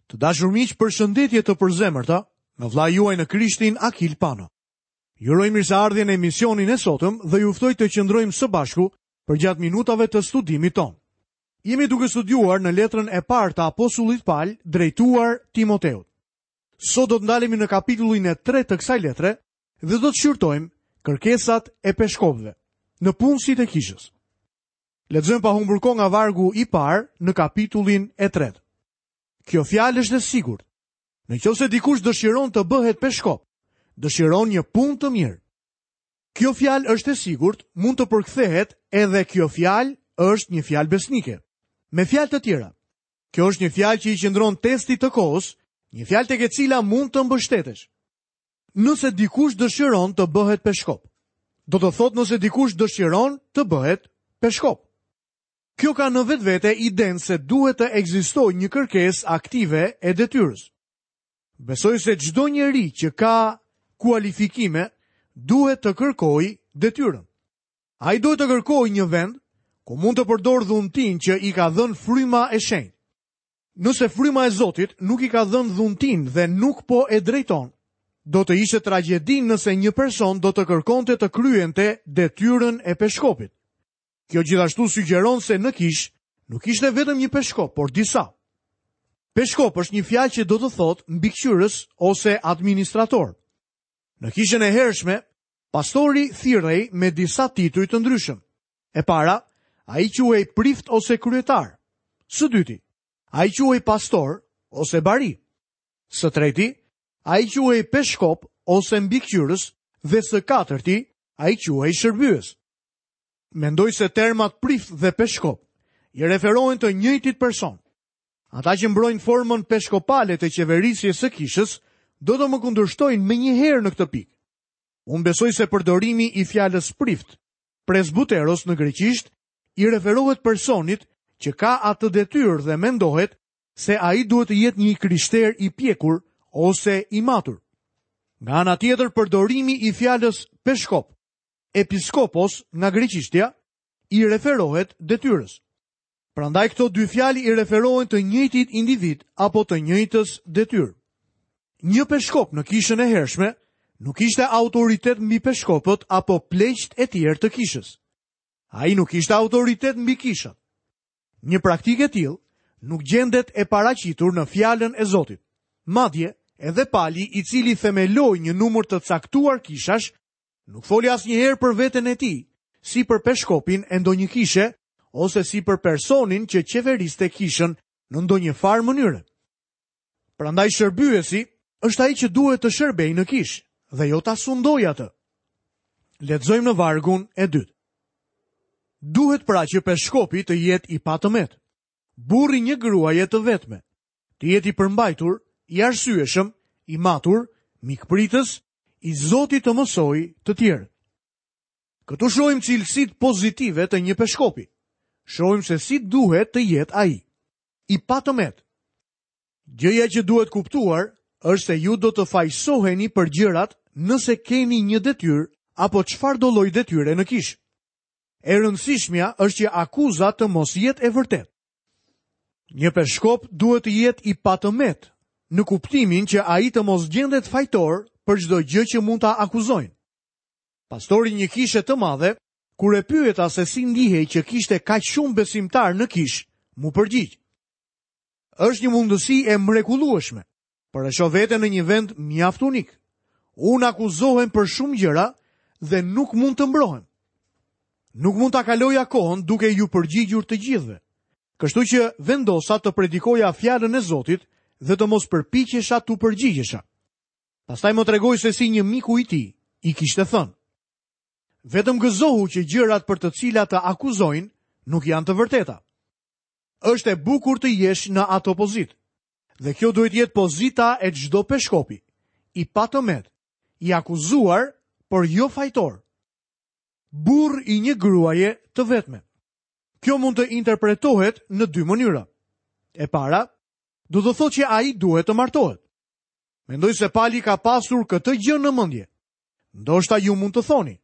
Të dashur miq, përshëndetje të përzemërta nga vëllai juaj në Krishtin Akil Pano. Ju uroj mirëseardhje në emisionin e sotëm dhe ju ftoj të qëndrojmë së bashku përgjatë minutave të studimit tonë. Jemi duke studiuar në letrën e parë të apostullit Pal drejtuar Timoteut. Sot do të ndalemi në kapitullin e tretë të kësaj letre dhe do të shqyrtojmë kërkesat e peshkopëve, nëpunësit e kishës. Lexojmë pa humbur kohë nga vargu i parë në kapitullin e tretë. Kjo fjalë është e sigurt. Në qoftë se dikush dëshiron të bëhet peshkop, dëshiron një punë të mirë. Kjo fjalë është e sigurt, mund të përkthehet edhe kjo fjalë është një fjalë besnike. Me fjalë të tjera, kjo është një fjalë që i qëndron testit të kohës, një fjalë tek e cila mund të mbështetesh. Nëse dikush dëshiron të bëhet peshkop, do të thotë nëse dikush dëshiron të bëhet peshkop. Kjo ka në vetvete idenë se duhet të ekzistojë një kërkesë aktive e detyrës. Besoj se çdo njeri që ka kualifikime duhet të kërkojë detyrën. Ai duhet të kërkojë një vend ku mund të përdorë dhuntinë që i ka dhënë fryma e shenjtë. Nëse fryma e Zotit nuk i ka dhënë dhuntinë dhe nuk po e drejton, do të ishte tragjedi nëse një person do të kërkonte të kryente detyrën e peshkopit. Kjo gjithashtu sugjeron se në kishë nuk ishte vetëm një peshkop, por disa. Peshkop është një fjalë që do të thotë mbikëqyrës ose administrator. Në kishën e hershme, pastori thirrej me disa tituj të ndryshëm. E para, ai quhej prift ose kryetar. Së dyti, ai quhej pastor ose bari. Së treti, ai quhej peshkop ose mbikëqyrës dhe së katërti, ai quhej shërbyes. Mendoj se termat prift dhe peshkop i referohen të njëjtit person. Ata që mbrojnë formën peshkopale të qeverisjes së kishës do të më kundërshtojnë menjëherë në këtë pikë. Unë besoj se përdorimi i fjalës prift, presbuteros në greqisht, i referohet personit që ka atë detyrë dhe mendohet se ai duhet të jetë një i krishterë i pjekur ose i matur. Nga ana tjetër, përdorimi i fjalës peshkop episkopos nga greqishtja i referohet detyrës. Prandaj këto dy fjalë i referohen të njëjtit individ apo të njëjtës detyrë. Një peshkop në kishën e hershme nuk ishte autoritet mbi peshkopët apo pleqtë e tjerë të kishës. Ai nuk ishte autoritet mbi kishat. Një praktikë e tillë nuk gjendet e paraqitur në fjalën e Zotit. Madje, edhe Pali, i cili themeloi një numër të caktuar kishash, Nuk foli asnjëherë për veten e tij, si për peshkopin e ndonjë kishe ose si për personin që qeveriste kishën në ndonjë farë mënyre. Prandaj shërbyesi është ai që duhet të shërbejë në kishë dhe jo ta sundojë atë. Lexojmë në vargun e dytë. Duhet pra që peshkopi të jetë i patëmetë, burrë i një gruaje të vetme, të jetë i përmbajtur, i arsyeshëm, i matur, mikpritës, i zoti të mësojë të tjerët. Këtu shohim cilësitë pozitive të një peshkopi. Shohim se si duhet të jetë ai. I patëmetë. Gjëja që duhet kuptuar është se ju do të fajësoheni për gjërat nëse keni një detyrë apo çfarëdo lloj detyre në kishë. E rëndësishmja është që akuza të mos jetë e vërtetë. Një peshkop duhet të jetë i patëmetë, në kuptimin që ai të mos gjendet fajtor për çdo gjë që mund ta akuzojnë. Pastori i një kishe të madhe, kur e pyeta se si ndihej që kishte kaq shumë besimtarë në kishë, m'u përgjigj. Është një mundësi e mrekullueshme, por e shoh veten në një vend mjaft unik. Unë akuzohem për shumë gjëra dhe nuk mund të mbrohem. Nuk mund ta kaloja kohën duke iu përgjigjur të gjithëve. Kështu që vendosa të predikoja fjalën e Zotit dhe të mos përpiqesha t'u përgjigjesha. Pastaj më tregoi se si një miku i tij i kishte thënë: Vetëm gëzohu që gjërat për të cilat të akuzojnë nuk janë të vërteta. Është e bukur të jesh në atë pozitë. Dhe kjo duhet të jetë pozita e çdo peshkopi, i patëmetë, i akuzuar, por jo fajtor. Burrë i një gruaje të vetme. Kjo mund të interpretohet në dy mënyra. E para, do të thotë që ai duhet të martohet. Mendoj se Pali ka pasur këtë gjë në mendje. Ndoshta ju mund të thoni,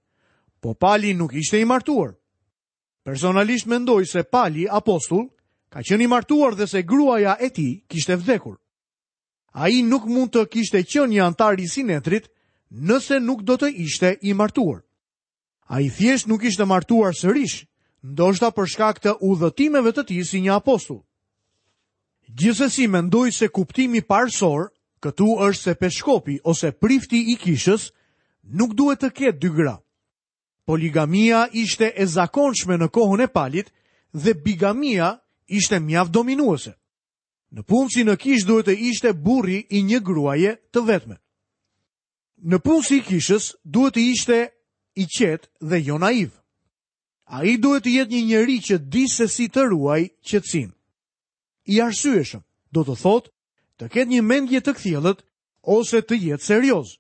po Pali nuk ishte i martuar. Personalisht mendoj se Pali, apostull, ka qenë i martuar dhe se gruaja e tij kishte vdekur. Ai nuk mund të kishte qenë një anëtar i Sinedrit nëse nuk do të ishte i martuar. Ai thjesht nuk ishte martuar sërish, ndoshta për shkak të udhëtimeve të tij si një apostull. Gjithsesi mendoj se kuptimi parësor këtu është se peshkopi ose prifti i kishës nuk duhet të ketë dy gra. Poligamia ishte e zakonshme në kohën e Palit dhe bigamia ishte mjaft dominuese. Nëpunësi në kishë duhet të ishte burri i një gruaje të vetme. Nëpunësi i kishës duhet të ishte i qetë dhe jo naiv. Ai duhet të jetë një njeri që di se si të ruajë qetësinë. I arsyeshëm, do të thotë të ketë një mendje të kthjellët ose të jetë serioz.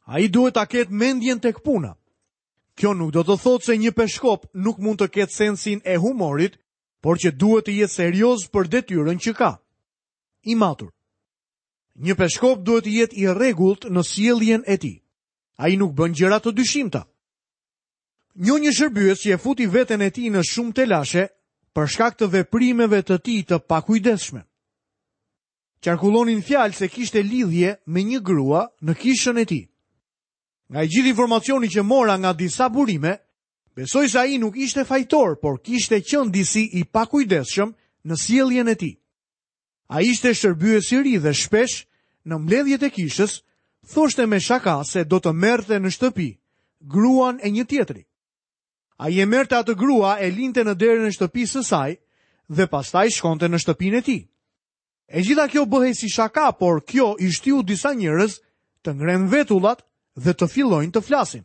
Ai duhet ta ketë mendjen tek puna. Kjo nuk do të thotë se një peshkop nuk mund të ketë sensin e humorit, por që duhet të jetë serioz për detyrën që ka. I matur. Një peshkop duhet të jetë i rregullt në sjelljen e tij. Ai nuk bën gjëra të dyshimta. Njoh një shërbyes që e futi veten e tij në shumë telashe për shkak të veprimeve të tij të pakujdesshme. Qarkullonin fjalë se kishte lidhje me një grua në kishën e tij. Nga i gjithë informacioni që mora nga disa burime, besoj se ai nuk ishte fajtor, por kishte qenë disi i pakujdesshëm në sjelljen e tij. Ai ishte shërbyes i ri dhe shpesh në mbledhjet e kishës thoshte me shaka se do të merrte në shtëpi gruan e një tjetri. Ai e merrte atë grua e linte në derën e shtëpisë së saj dhe pastaj shkonte në shtëpinë e tij. E gjitha kjo bëhej si shaka, por kjo i shtyu disa njerëz të ngrenë vetullat dhe të fillojnë të flasin.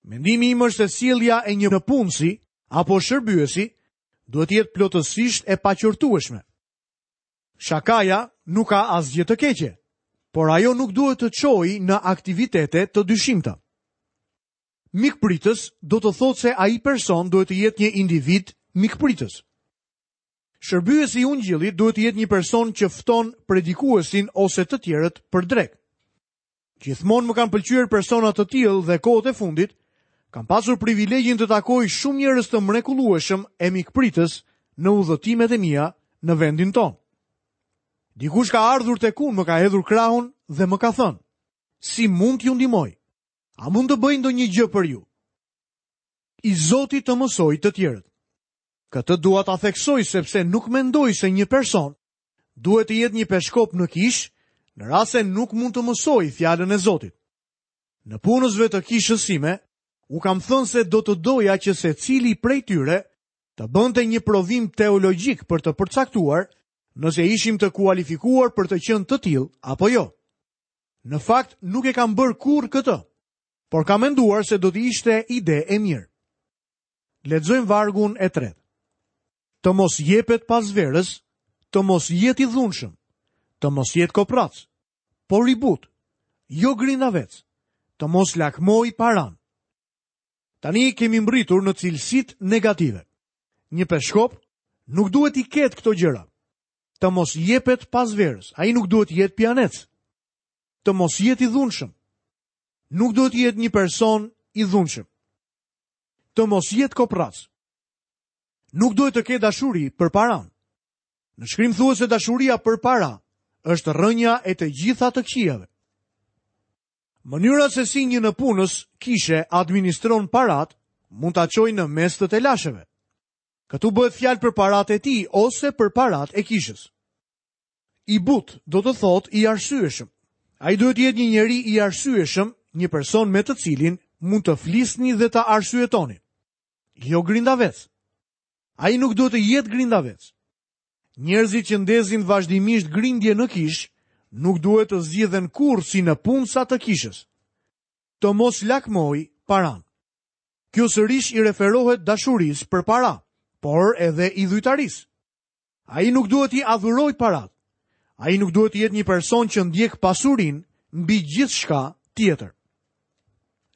Mendimi im është se sjellja e një nëpunësi apo shërbyesi duhet të jetë plotësisht e paqortueshme. Shakaja nuk ka asgjë të keqe, por ajo nuk duhet të çojë në aktivitete të dyshimta. Mikpritës do të thotë se ai person duhet të jetë një individ mikpritës. Shërbyesi i ungjillit duhet të jetë një person që fton predikuesin ose të tjerët për drekë. Gjithmonë më kanë pëlqyer persona të tillë dhe kohët e fundit kam pasur privilegjin të takoj shumë njerëz të mrekullueshëm e mikpritës në udhëtimet e mia në vendin tonë. Dikush ka ardhur tek unë, më ka hedhur krahun dhe më ka thënë: "Si mund t'ju ndihmoj? A mund të bëj ndonjë gjë për ju?" I zoti të mësojë të tjerët. Këtë dua ta theksoj sepse nuk mendoj se një person duhet të jetë një peshkop në kishë, në rast se nuk mund të mësojë fjalën e Zotit. Nëpunësve të kishës sime, u kam thënë se do të doja që secili prej tyre të bënte një provim teologjik për të përcaktuar nëse ishim të kualifikuar për të qenë të tillë apo jo. Në fakt, nuk e kam bërë kurrë këtë, por kam menduar se do të ishte ide e mirë. Lexojmë vargun e tretë. Të mos jepet pas verës, të mos jetë i dhunshëm, të mos jetë koprrac, por i butë, jo grindavec, të mos lakmojë paranë. Tani kemi mbërritur në cilësitë negative. Një peshkop nuk duhet t'i ketë këto gjëra. Të mos jepet pas verës, ai nuk duhet të jetë pijanec. Të mos jetë i dhunshëm. Nuk duhet të jetë një person i dhunshëm. Të mos jetë koprrac. Nuk duhet të ketë dashuri për paranë. Në shkrim thuhet se dashuria për para është rrënja e të gjitha të këqijave. Mënyra se si një nëpunës kishe administron paratë mund ta çojë në mes të telasheve. Këtu bëhet fjalë për paratë e tij ose për paratë e kishës. I butë do të thotë i arsyeshëm. Ai duhet të jetë një njeri i arsyeshëm, një person me të cilin mund të flisni dhe ta arsyetoni. Jo grindavec. Ai nuk duhet të jetë grindavec. Njerëzit që ndezin vazhdimisht grindje në kishë nuk duhet të zgjidhen kurrë si nëpunësa të kishës. Të mos lakmojë paranë. Kjo sërish i referohet dashurisë për para, por edhe idhujtarisë. Ai nuk duhet t'i adhurojë paratë. Ai nuk duhet të jetë një person që ndjek pasurinë mbi gjithçka tjetër.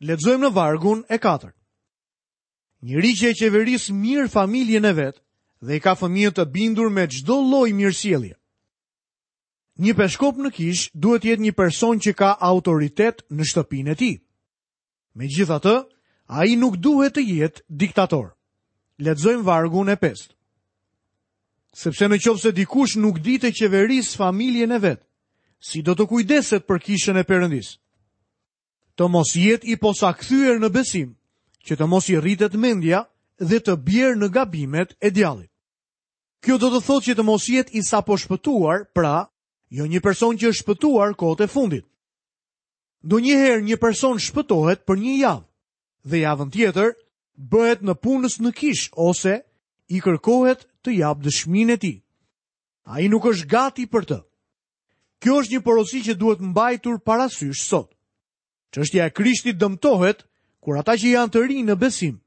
Lexojmë në vargun e katërt. Njeri që e qeveris mirë familjen e vet dhe i ka fëmijët të bindur me çdo lloj mirësjellje. Një peshkop në kishë duhet të jetë një person që ka autoritet në shtëpinë e tij. Megjithatë, ai nuk duhet të jetë diktator. Lexojmë vargun e pestë. Sepse në qoftë se dikush nuk di të qeverisë familjen e vet, si do të kujdeset për kishën e Perëndisë? Të mos jetë i posakthyer në besim, që të mos i rritet mendja dhe të bjerë në gabimet e djallit. Kjo do të thotë që të mos jetë i saposhpëtuar, pra, jo një person që është shpëtuar kohët e fundit. Ndonjëherë një person shpëtohet për një javë dhe javën tjetër bëhet nëpunës në kishë ose i kërkohet të japë dëshminë e tij. Ai nuk është gati për të. Kjo është një porosi që duhet mbajtur parasysh sot. Çështja e Krishtit dëmtohet kur ata që janë të rinj në besim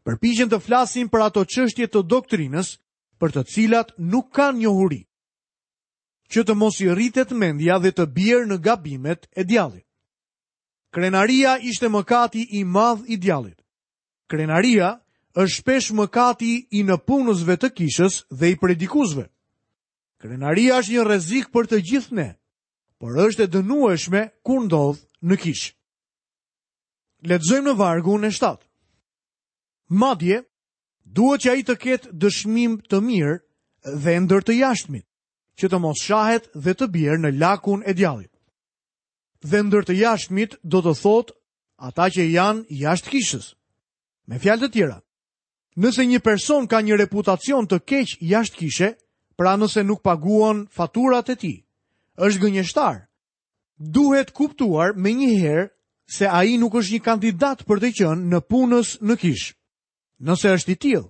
përpiqen të flasin për ato çështje të doktrinës për të cilat nuk kanë njohuri. Që të mos i rritet mendja dhe të bjerë në gabimet e djallit. Krenaria ishte mëkati i madh i djallit. Krenaria është shpesh mëkati i nëpunësve të kishës dhe i predikuesve. Krenaria është një rrezik për të gjithë ne, por është e dënueshme kur ndodh në kishë. Lexojmë në vargun e 7. Madje, duhet që ai të ketë dëshmim të mirë dhe ndër të jashtmit, që të mos shahet dhe të bjerë në lakun e djallit. Dhe ndër të jashtmit do të thotë ata që janë jashtë kishës. Me fjalë të tjera, nëse një person ka një reputacion të keq jashtë kishe, pra nëse nuk paguan faturat e tij, është gënjeshtar. Duhet kuptuar menjëherë se ai nuk është një kandidat për të qenë nëpunës në kishë. Nëse është i tillë,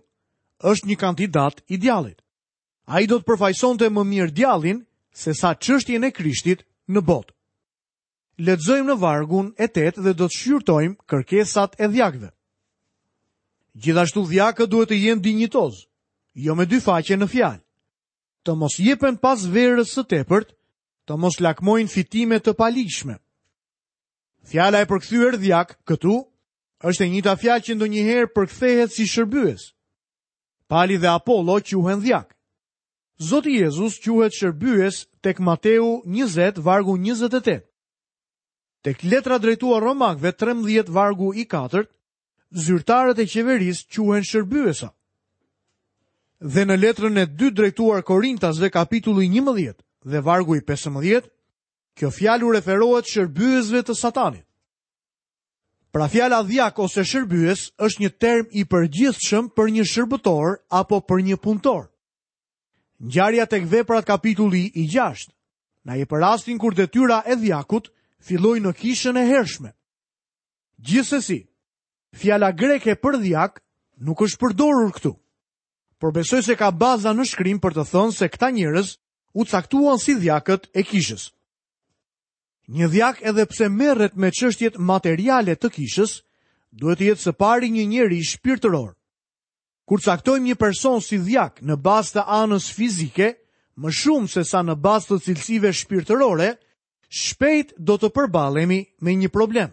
është një kandidat i djallit. Ai do të përfaqësonte më mirë djallin sesa çështjen e Krishtit në botë. Lexojmë në vargun e 8 dhe do të shqyrtojmë kërkesat e dhjakëve. Gjithashtu dhjakët duhet të jenë dinjitozë, jo me dy faqe në fjalë. Të mos jepen pas verës së tepërt, të mos lakmojnë fitime të paligjshme. Fjala e përkthyer dhjak këtu është e njëjta fjalë që ndonjëherë përkthehet si shërbyes. Pali dhe Apollo quhen dhjakë. Zoti Jezus quhet shërbyes tek Mateu 20 vargu 28. Tek letra drejtuar Romakëve 13 vargu i 4, zyrtarët e qeverisë quhen shërbyesa. Dhe në letrën e dytë drejtuar Korintasve kapitulli 11 dhe vargu i 15, kjo fjalë u referohet shërbyesve të Satanit. Pra fjala dhjak ose shërbyes është një term i përgjithshëm për një shërbëtor apo për një punëtor. Ngjarja tek veprat kapitulli i 6 na jep rastin kur detyra e dhjakut filloi në kishën e hershme. Gjithsesi, fjala greke për dhjak nuk është përdorur këtu. Por besoj se ka baza në shkrim për të thënë se këta njerëz u caktuan si dhjakët e kishës. Një dhjak edhe pse merret me çështjet materiale të kishës, duhet të jetë së pari një njeri shpirtëror. Kur caktojmë një person si dhjak në bazë të anës fizike, më shumë sesa në bazë të cilësive shpirtërore, shpejt do të përballemi me një problem.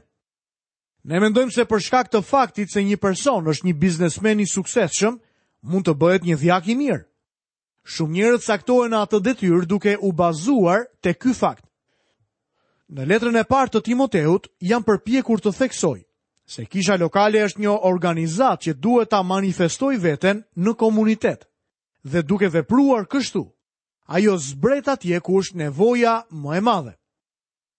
Ne mendojmë se për shkak të faktit se një person është një biznesmen i suksesshëm, mund të bëhet një dhjak i mirë. Shumë njerëz caktohen në atë detyrë duke u bazuar te ky fakt. Në letrën e parë të Timoteut jam përpjekur të theksoj se kisha lokale është një organizatë që duhet ta manifestojë veten në komunitet dhe duke vepruar kështu, ajo zbret atje ku është nevoja më e madhe.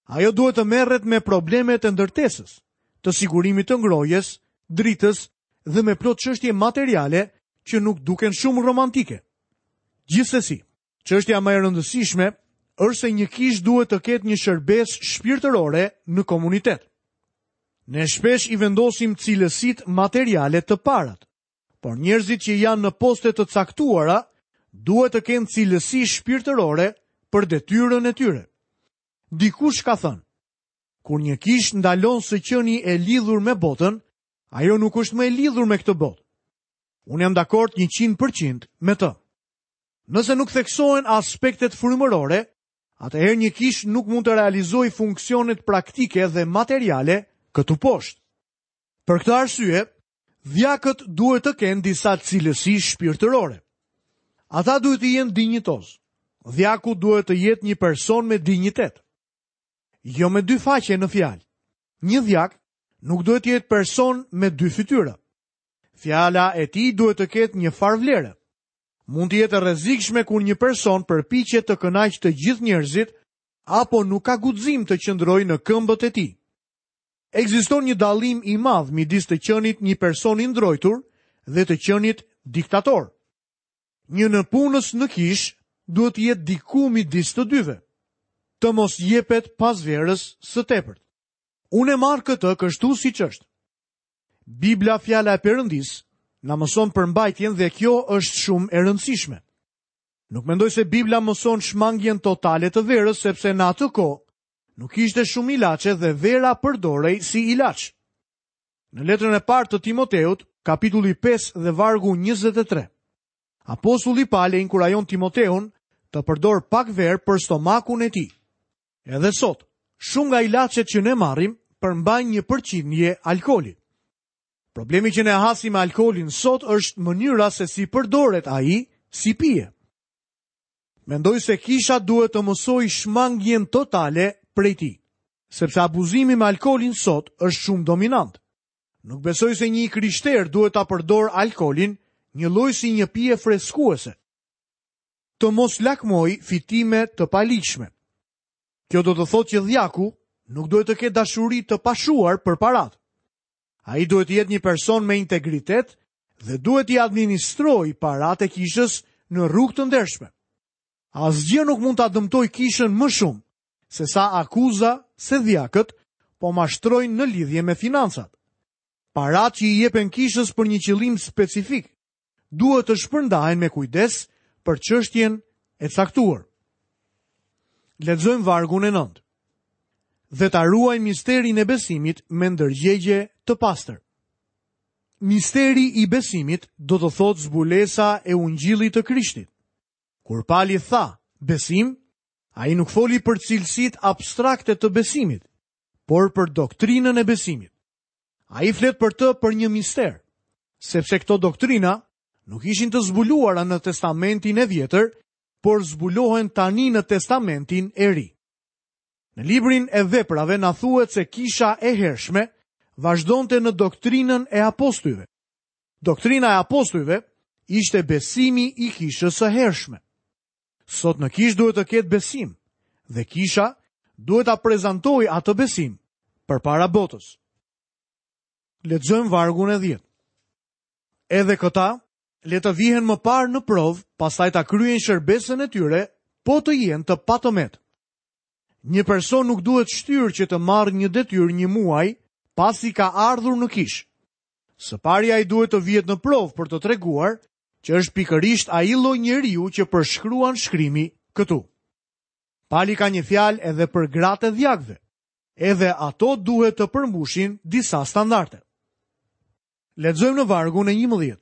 Ajo duhet të merret me problemet e ndërtesës, të sigurimit të ngrohjes, dritës dhe me plot çështje materiale që nuk duken shumë romantike. Gjithsesi, çështja më e rëndësishme është se një kishë duhet të ketë një shërbesë shpirtërore në komunitet. Ne shpesh i vendosim cilësitë materiale të parat, por njerëzit që janë në poste të caktuara duhet të kenë cilësi shpirtërore për detyrën e tyre. Dikush ka thënë, kur një kishë ndalon së qeni e lidhur me botën, ajo nuk është më e lidhur me këtë botë. Unë jam dakord 100% me të. Nëse nuk theksohen aspektet frymërore, atëherë një kishë nuk mund të realizojë funksionet praktike dhe materiale këtu poshtë. Për këtë arsye, dhjakët duhet të kenë disa cilësi shpirtërore. Ata duhet të jenë dinjitozë. Dhjaku duhet të jetë një person me dinjitet. Jo me dy faqe në fjalë. Një dhjak nuk duhet të jetë person me dy fytyra. Fjala e tij duhet të ketë një farë vlere. Mund të jetë e rrezikshme kur një person përpiqet të kënaqë të gjithë njerëzit apo nuk ka guxim të qëndrojë në këmbët e tij. Ekziston një dallim i madh midis të qenit një person i ndrojtur dhe të qenit diktator. Një nëpunës në kishë duhet të jetë diku midis të dyve. Të mos jepet pas verës së tepërt. Unë e marr këtë kështu siç është. Bibla fjala e Perëndisë na mëson përmbajtjen dhe kjo është shumë e rëndësishme. Nuk mendoj se Bibla mëson shmangien totale të verës sepse në atë kohë nuk ishte shumë ilaçe dhe vera përdorej si ilaç. Në letrën e parë të Timoteut, kapitulli 5 dhe vargu 23. Apostulli Pal e inkurajon Timoteun të përdorë pak verë për stomakun e tij. Edhe sot, shumë nga ilaçet që ne marrim përmbajnë një përqindje alkooli. Problemi që ne hasim me alkoolin sot është mënyra se si përdoret ai si pije. Mendoj se kisha duhet të mësojë shmangien totale prej tij, sepse abuzimi me alkoolin sot është shumë dominant. Nuk besoj se një i krishterë duhet ta përdorë alkoolin njëlloj si një pije freskuese. Të mos lakmojë fitime të paligjshme. Kjo do të thotë që dhjaku nuk duhet të ketë dashuri të pashuar për paratë. Ai duhet të jetë një person me integritet dhe duhet t'i administrojë paratë e kishës në rrugë të ndershme. Asgjë nuk mund ta dëmtojë kishën më shumë sesa akuza se dhjakët po mashtrojnë në lidhje me financat. Paratë që i jepen kishës për një qëllim specifik duhet të shpërndahen me kujdes për çështjen e caktuar. Lexojmë vargun e 9. Dhe ta ruajnë misterin e besimit me ndërgjegje të pastër. Misteri i besimit do të thotë zbulesa e ungjillit të Krishtit. Kur Pali tha besim, ai nuk foli për cilësitë abstrakte të besimit, por për doktrinën e besimit. Ai flet për të për një mister, sepse këto doktrina nuk ishin të zbuluara në Testamentin e Vjetër, por zbulohen tani në Testamentin e Ri. Në librin e Veprave na thuhet se kisha e hershme vazhdonte në doktrinën e apostujve. Doktrina e apostujve ishte besimi i kishës së hershme. Sot në kishë duhet të ketë besim dhe kisha duhet ta prezantojë atë besim përpara botës. Lexojmë vargun e 10. Edhe këta le të vihen më parë në provë, pastaj ta kryejnë shërbesën e tyre, po të jenë të patëmetë. Një person nuk duhet shtyrë që të marrë një detyrë një muaj pasi ka ardhur në kishë. Së pari ai duhet të vihet në provë për të treguar që është pikërisht ai lloj njeriu që përshkruan shkrimi këtu. Pali ka një fjalë edhe për gratë e dhjakëve. Edhe ato duhet të përmbushin disa standarde. Lexojmë në vargun e 11.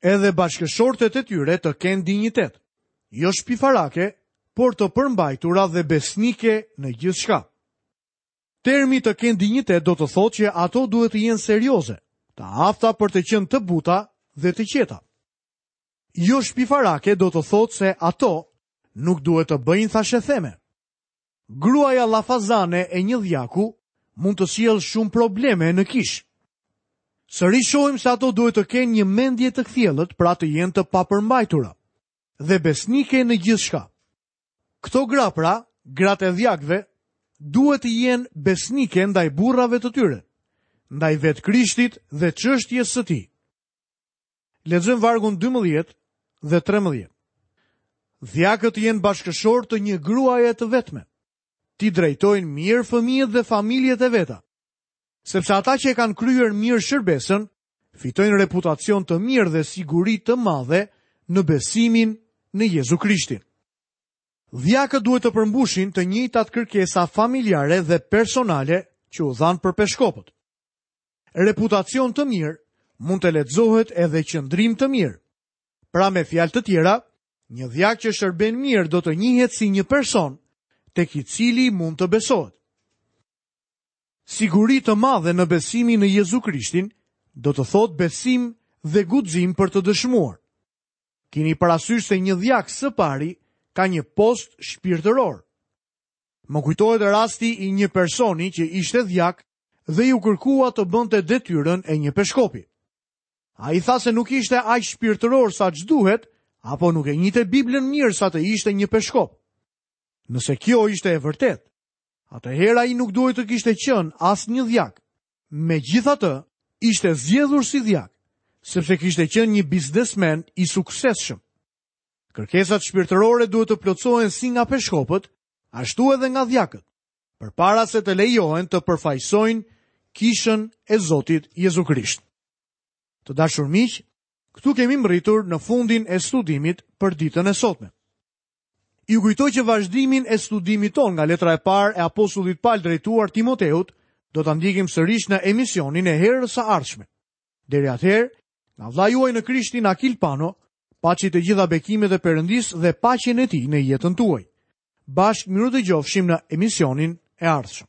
Edhe bashkëshortet e tyre të kenë dinjitet, jo shpifarake, por të përmbajtura dhe besnike në gjithçka. Termi të kenë dinjitet do të thotë që ato duhet të jenë serioze, të afta për të qenë të buta dhe të qeta. Jo shpifarake do të thotë se ato nuk duhet të bëjnë thashetheme. Gruaja llafazane e një dhjaku mund të sjellë shumë probleme në kishë. Sërish shohim se ato duhet të kenë një mendje të kthjellët, pra të jenë të papërmbajtura dhe besnike në gjithçka. Këto gra pra, gratë e dhjakëve, duhet të jenë besnike ndaj burrave të tyre, ndaj vetë Krishtit dhe çështjes së tij. Lexojmë vargun 12 dhe 13. Dhjakët të jenë bashkëshortë të një gruaje të vetme. T'i drejtojnë mirë fëmijët dhe familjet e veta. Sepse ata që e kanë kryer mirë shërbesën, fitojnë reputacion të mirë dhe siguri të madhe në besimin në Jezu Krishtin. Dhjakët duhet të përmbushin të njëjtat kërkesa familjare dhe personale që u dhanë për peshkopët. Reputacion të mirë mund të lexohet edhe qëndrim të mirë. Pra me fjalë të tjera, një dhjak që shërben mirë do të njihet si një person tek i cili mund të besohet. Siguri të madhe në besimin në Jezu Krishtin do të thotë besim dhe guxim për të dëshmuar. Kini parasysh se një dhjak së pari ka një post shpirtëror. Më kujtohet rasti i një personi që ishte dhjak dhe iu kërkua të bënte detyrën e një peshkopi. Ai tha se nuk ishte aq shpirtëror sa ç'duhet apo nuk e njihte Biblën mirë sa të ishte një peshkop. Nëse kjo ishte e vërtetë, atëherë ai nuk duhej të kishte qenë as një dhjak. Megjithatë, ishte zgjedhur si dhjak, sepse kishte qenë një biznesmen i suksesshëm. Kërkesat shpirtërore duhet të plotësohen si nga peshkopët, ashtu edhe nga dhjakët, përpara se të lejohen të përfaqësojnë kishën e Zotit Jezu Krisht. Të dashur miq, këtu kemi mbërritur në fundin e studimit për ditën e sotme. Ju kujtoj që vazhdimin e studimit tonë nga letra e parë e apostullit Pal drejtuar Timoteut do ta ndjekim sërish në emisionin e herës së ardhshme. Deri atëherë, nga vëllai juaj në Krishtin Akil Pano, paçi të gjitha bekimet e Perëndisë dhe paqen e tij në jetën tuaj. Bashkë mirudëgjofshim në emisionin e ardhshëm.